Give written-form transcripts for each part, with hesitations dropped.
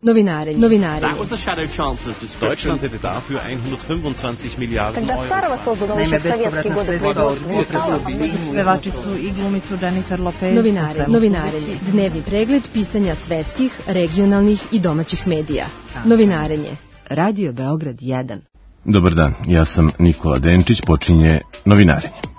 Novinarenje. Deutschland hätte dafür 125 Miliarden Euro. Naime, bespovratna sredstva od pevačicu i glumicu Jennifer Lopez. Novinarenje. Dnevni pregled pisanja svetskih, regionalnih i domaćih medija. Novinarenje. Radio Beograd 1. Dobar dan, ja sam Nikola Denčić, počinje Novinarenje.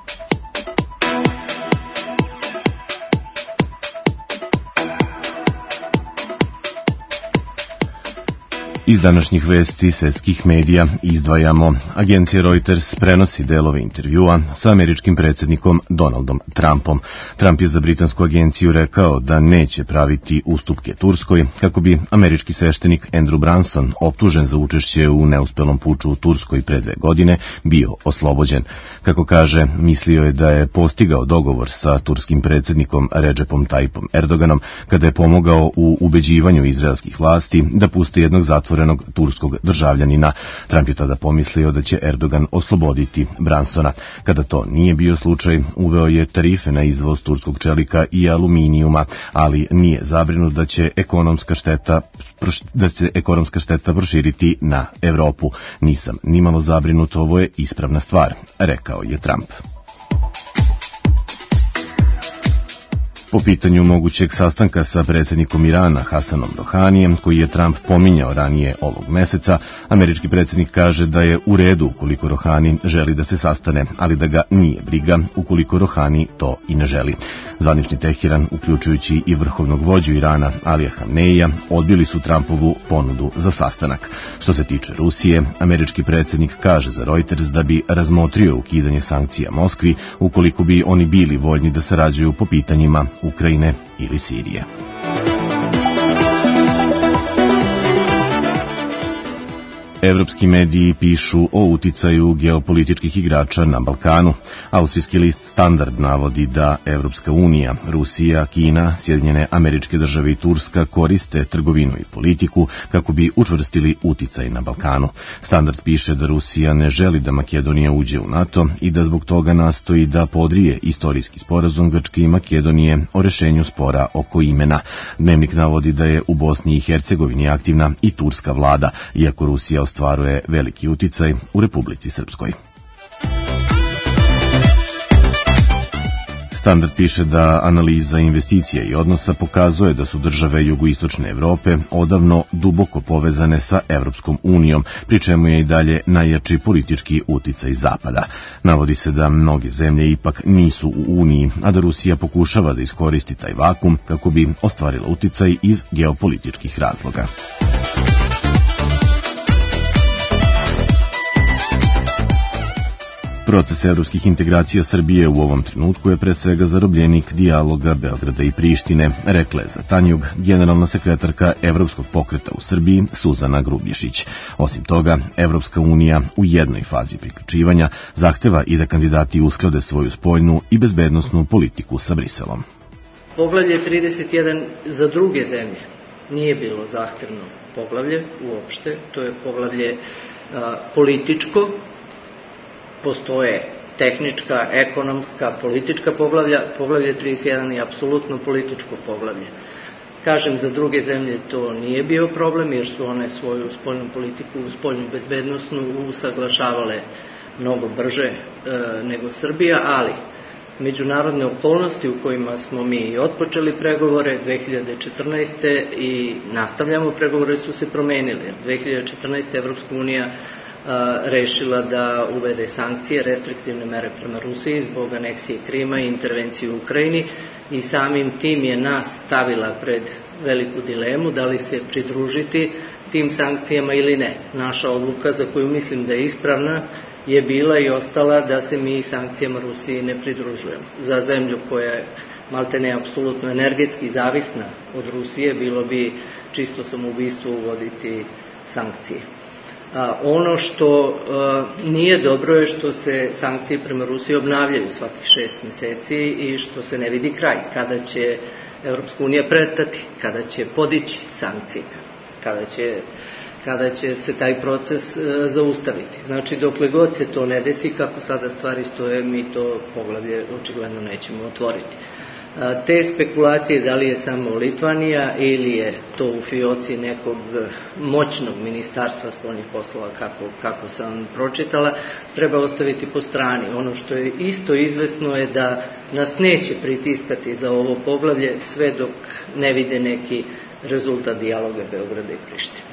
Iz današnjih vesti svetskih medija izdvajamo: agencija Reuters prenosi delove intervjua sa američkim predsjednikom Donaldom Trumpom. Trump je za britansku agenciju rekao da neće praviti ustupke Turskoj kako bi američki sveštenik Andrew Branson, optužen za učešće u neuspelom puču u Turskoj pre 2 godine, bio oslobođen. Kako kaže, mislio je da je postigao dogovor sa turskim predsjednikom Recepom Tayyipom Erdoganom kada je pomogao u ubeđivanju izraelskih vlasti da puste jednog zatvorenog turskog državljanina. Trump je tada pomislio da će Erdogan osloboditi Bransona. Kada to nije bio slučaj, uveo je tarife na izvoz turskog čelika i aluminijuma, ali nije zabrinut da će ekonomska šteta proširiti na Evropu. Nisam nimalo zabrinut, ovo je ispravna stvar, rekao je Trump. Po pitanju mogućeg sastanka sa predsjednikom Irana Hasanom Rohanijem, koji je Trump pominjao ranije ovog meseca, američki predsjednik kaže da je u redu ukoliko Rohani želi da se sastane, ali da ga nije briga ukoliko Rohani to i ne želi. Zvanični Teheran, uključujući i vrhovnog vođu Irana Alija Hamneija, odbili su Trumpovu ponudu za sastanak. Što se tiče Rusije, američki predsjednik kaže za Reuters da bi razmotrio ukidanje sankcija Moskvi ukoliko bi oni bili voljni da sarađuju po pitanjima Ukrajine ili Sirije. Evropski mediji pišu o uticaju geopolitičkih igrača na Balkanu. Austrijski list Standard navodi da Evropska unija, Rusija, Kina, Sjedinjene Američke Države i Turska koriste trgovinu i politiku kako bi učvrstili uticaj na Balkanu. Standard piše da Rusija ne želi da Makedonija uđe u NATO i da zbog toga nastoji da podrije istorijski sporazum Grčke i Makedonije o rešenju spora oko imena. Dnevnik navodi da je u Bosni i Hercegovini aktivna i turska vlada, iako Rusija ostvaruje veliki uticaj u Republici Srpskoj. Standard piše da analiza investicija i odnosa pokazuje da su države jugoistočne Evrope odavno duboko povezane sa Evropskom unijom, pri čemu je i dalje najjači politički uticaj Zapada. Navodi se da mnoge zemlje ipak nisu u Uniji, a da Rusija pokušava da iskoristi taj vakum kako bi ostvarila uticaj iz geopolitičkih razloga. Proces evropskih integracija Srbije u ovom trenutku je pre svega zarobljenik dijaloga Beograda i Prištine, rekla je za Tanjug generalna sekretarka Evropskog pokreta u Srbiji Suzana Grubješić. Osim toga, Evropska unija u jednoj fazi priključivanja zahteva i da kandidati usklade svoju spoljnu i bezbednosnu politiku sa Briselom. Poglavlje 31 za druge zemlje nije bilo zahtevno poglavlje uopšte, to je poglavlje političko. Postoje tehnička, ekonomska, politička poglavlja. Poglavlje 31 je apsolutno političko poglavlje. Kažem, za druge zemlje to nije bio problem, jer su one svoju spoljnu politiku, spoljnu bezbednosnu usaglašavale mnogo brže nego Srbija, ali međunarodne okolnosti u kojima smo mi otpočeli pregovore 2014. i nastavljamo pregovore su se promenili. 2014. Evropska unija rešila da uvede sankcije, restriktivne mere prema Rusiji zbog aneksije Krima i intervencije u Ukrajini i samim tim je nas stavila pred veliku dilemu da li se pridružiti tim sankcijama ili ne. Naša odluka, za koju mislim da je ispravna, je bila i ostala da se mi sankcijama Rusiji ne pridružujemo. Za zemlju koja je maltene apsolutno energetski zavisna od Rusije, bilo bi čisto samoubistvo uvoditi sankcije. Ono što nije dobro je što se sankcije prema Rusiji obnavljaju svakih 6 meseci i što se ne vidi kraj. Kada će Evropska unija prestati, kada će podići sankcije, kada će se taj proces zaustaviti. Znači, dokle god se to ne desi, kako sada stvari stoje, mi to poglavlje očigledno nećemo otvoriti. Te spekulacije da li je samo Litvanija ili je to u fioci nekog moćnog ministarstva spoljnih poslova kako sam pročitala, treba ostaviti po strani. Ono što je isto izvesno je da nas neće pritiskati za ovo poglavlje sve dok ne vide neki rezultat dijaloga Beograda i Prištine.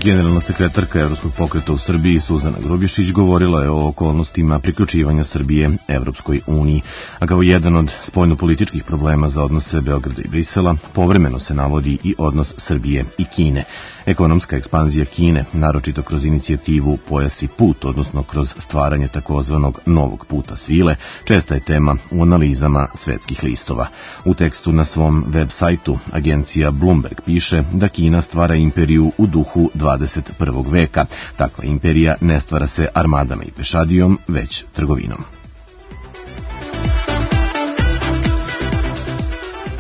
Generalna sekretarka Evropskog pokreta u Srbiji Suzana Grubješić govorila je o okolnostima priključivanja Srbije Evropskoj uniji, a kao jedan od spoljnopolitičkih problema za odnose Beograda i Brisela povremeno se navodi i odnos Srbije i Kine. Ekonomska ekspanzija Kine, naročito kroz inicijativu Pojas i put, odnosno kroz stvaranje takozvanog novog puta svile, česta je tema u analizama svetskih listova. U tekstu na svom web sajtu agencija Bloomberg piše da Kina stvara imperiju u duhu 21. veka. Takva imperija ne stvara se armadama i pešadijom, već trgovinom.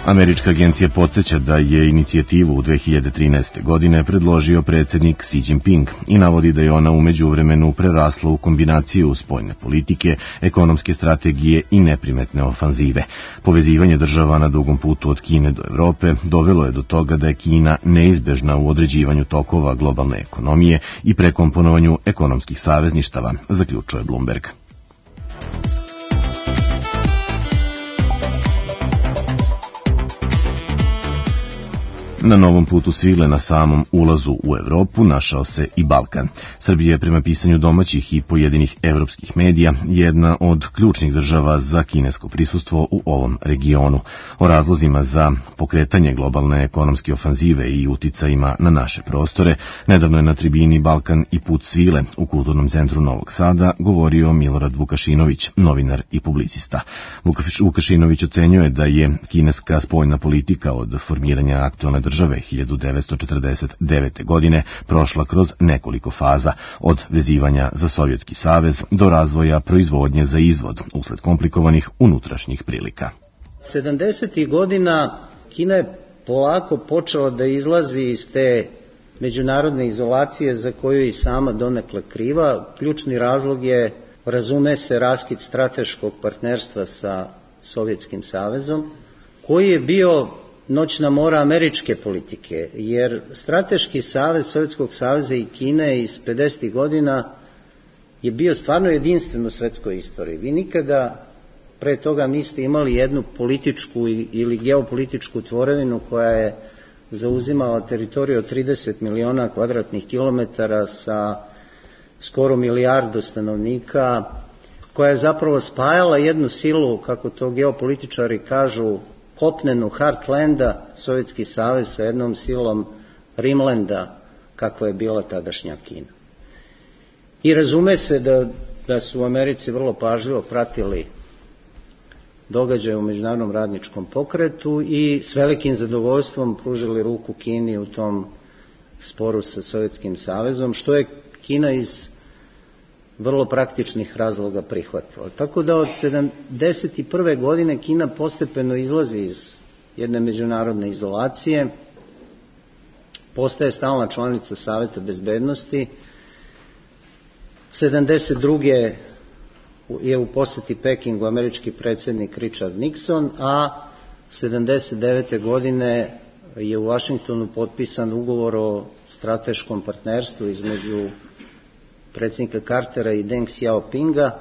Američka agencija podsjeća da je inicijativu u 2013. godine predložio predsjednik Xi Jinping i navodi da je ona u međuvremenu prerasla u kombinaciju spoljne politike, ekonomske strategije i neprimetne ofanzive. Povezivanje država na dugom putu od Kine do Evrope dovelo je do toga da je Kina neizbežna u određivanju tokova globalne ekonomije i prekomponovanju ekonomskih savezništava, zaključuje Bloomberg. Na novom putu svile na samom ulazu u Evropu našao se i Balkan. Srbija je prema pisanju domaćih i pojedinih evropskih medija jedna od ključnih država za kinesko prisustvo u ovom regionu. O razlozima za pokretanje globalne ekonomske ofanzive i uticajima na naše prostore nedavno je na tribini Balkan i put svile u Kulturnom centru Novog Sada govorio Milorad Vukašinović, novinar i publicista. Vukašinović ocenjuje da je kineska spoljna politika od formiranja aktualne države 1949. godine prošla kroz nekoliko faza, od vezivanja za Sovjetski savez do razvoja proizvodnje za izvoz usled komplikovanih unutrašnjih prilika. 70. godina Kina je polako počela da izlazi iz te međunarodne izolacije za koju je i sama donekle kriva. Ključni razlog je, razume se, raskid strateškog partnerstva sa Sovjetskim savezom, koji je bio noćna mora američke politike, jer strateški savez Sovjetskog saveza i Kine iz 50. godina je bio stvarno jedinstven u svetskoj istoriji. Vi nikada pre toga niste imali jednu političku ili geopolitičku tvorevinu koja je zauzimala teritoriju od 30 miliona kvadratnih kilometara sa skoro milijardu stanovnika, koja je zapravo spajala jednu silu, kako to geopolitičari kažu, kopnenu Heartlanda, Sovjetski savez, sa jednom silom Rimlanda, kakva je bila tadašnja Kina. I razume se da su u Americi vrlo pažljivo pratili događaje u međunarodnom radničkom pokretu i s velikim zadovoljstvom pružili ruku Kini u tom sporu sa Sovjetskim savezom, što je Kina iz vrlo praktičnih razloga prihvatila. Tako da od 1971. godine Kina postepeno izlazi iz jedne međunarodne izolacije, postaje stalna članica Saveta bezbednosti. 1972. je u poseti Pekingu američki predsjednik Richard Nixon, a 1979. godine je u Vašingtonu potpisan ugovor o strateškom partnerstvu između predsjednika Cartera i Deng Xiaopinga,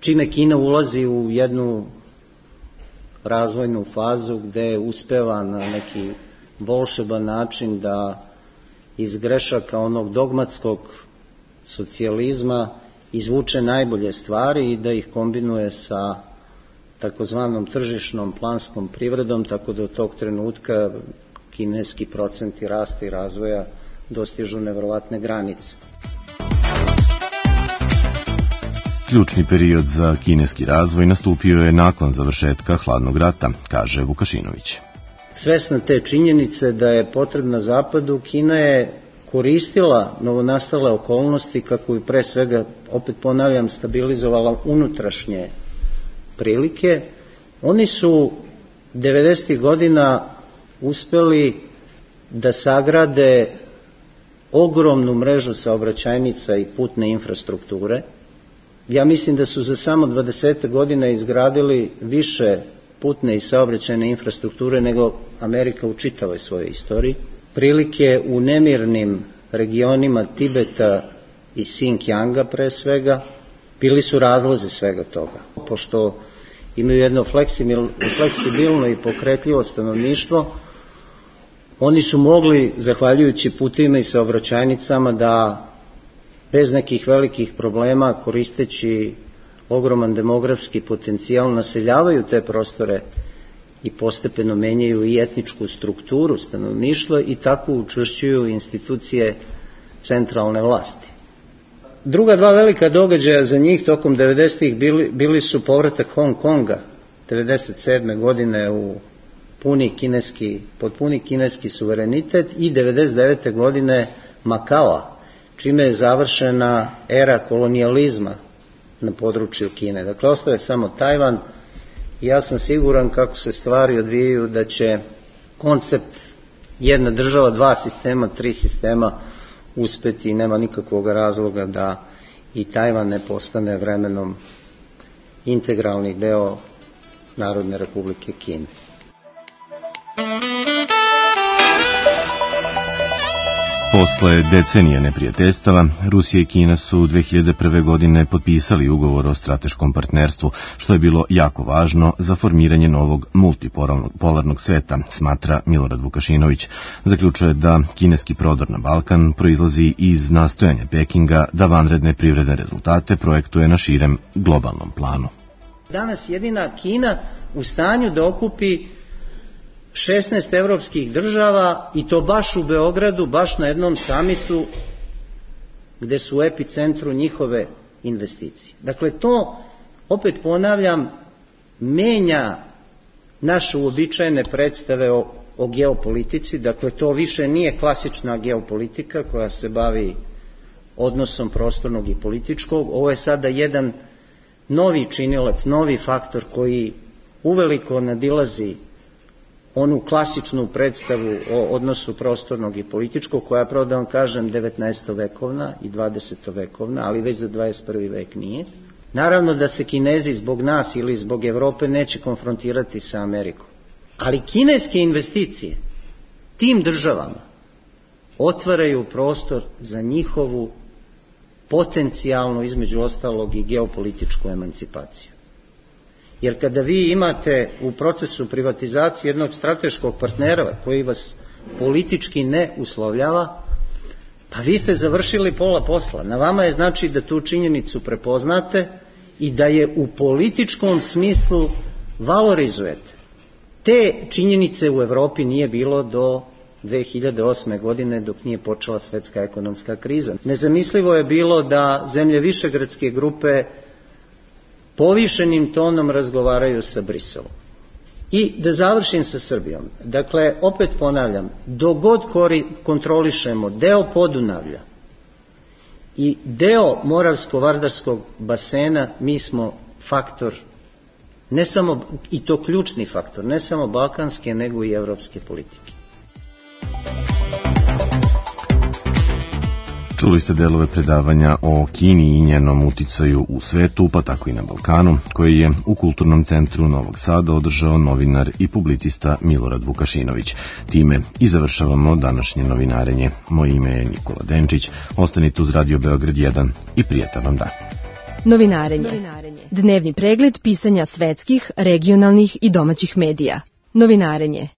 čime Kina ulazi u jednu razvojnu fazu gde uspeva na neki volšeban način da iz grešaka onog dogmatskog socijalizma izvuče najbolje stvari i da ih kombinuje sa takozvanom tržišnom planskom privredom, tako da od tog trenutka kineski procenti rasta i razvoja dostižu neverovatne granice. Ključni period za kineski razvoj nastupio je nakon završetka hladnog rata, kaže Vukašinović. Svesna te činjenice da je potrebna Zapadu, Kina je koristila novonastale okolnosti kako bi pre svega, opet ponavljam, stabilizovala unutrašnje prilike. Oni su 90. godina uspeli da sagrade ogromnu mrežu saobraćajnica i putne infrastrukture Ja mislim da su za samo 20 godina izgradili više putne i saobraćajne infrastrukture nego Amerika u čitavoj svojoj istoriji. Prilike u nemirnim regionima Tibeta i Xinjianga pre svega bili su razlozi svega toga. Pošto imaju jedno fleksibilno i pokretljivo stanovništvo, oni su mogli, zahvaljujući putima i saobraćajnicama, da bez nekih velikih problema, koristeći ogroman demografski potencijal, naseljavaju te prostore i postepeno menjaju i etničku strukturu stanovništva i tako učvršćuju institucije centralne vlasti. Druga dva velika događaja za njih tokom 90-ih bili su povratak Hong Konga 1997. godine pod puni kineski suverenitet i 1999. godine Makaoa, čime je završena era kolonijalizma na području Kine. Dakle, ostaje samo Tajvan i ja sam siguran kako se stvari odvijaju da će koncept jedna država, dva sistema, tri sistema uspeti i nema nikakvog razloga da i Tajvan ne postane vremenom integralni deo Narodne Republike Kine. Posle decenije neprijateljstava, Rusija i Kina su 2001. godine potpisali ugovor o strateškom partnerstvu, što je bilo jako važno za formiranje novog multipolarnog sveta, smatra Milorad Vukašinović. Zaključuje da kineski prodor na Balkan proizlazi iz nastojanja Pekinga da vanredne privredne rezultate projektuje na širem globalnom planu. Danas jedina Kina u stanju da okupi 16 evropskih država i to baš u Beogradu, baš na jednom samitu gde su u epicentru njihove investicije. Dakle, to, opet ponavljam, menja naše uobičajene predstave o geopolitici. Dakle, to više nije klasična geopolitika koja se bavi odnosom prostornog i političkog. Ovo je sada jedan novi činilac, novi faktor koji uveliko nadilazi onu klasičnu predstavu o odnosu prostornog i političkog, koja je, pravo da vam kažem, 19. vekovna i 20. vekovna, ali već za 21. vek nije. Naravno da se Kinezi zbog nas ili zbog Evrope neće konfrontirati sa Amerikom. Ali kineske investicije tim državama otvaraju prostor za njihovu potencijalnu, između ostalog, i geopolitičku emancipaciju. Jer kada vi imate u procesu privatizacije jednog strateškog partnera koji vas politički ne uslovljava, pa vi ste završili pola posla. Na vama je znači da tu činjenicu prepoznate i da je u političkom smislu valorizujete. Te činjenice u Evropi nije bilo do 2008. godine dok nije počela svetska ekonomska kriza. Nezamislivo je bilo da zemlje Višegradske grupe povišenim tonom razgovaraju sa Briselom. I da završim sa Srbijom. Dakle, opet ponavljam, dok god kontrolišemo deo Podunavlja i deo Moravsko-Vardarskog basena, mi smo faktor, ne samo, i to ključni faktor, ne samo balkanske, nego i evropske politike. Čuli ste delove predavanja o Kini i njenom uticaju u svetu, pa tako i na Balkanu, koje je u Kulturnom centru Novog Sada održao novinar i publicista Milorad Vukašinović. Time i završavamo današnje novinarenje. Moje ime je Nikola Denčić. Ostanite uz Radio Beograd 1 i prijatan vam dan. Novinarenje. Dnevni pregled pisanja svetskih, regionalnih i domaćih medija. Novinarenje.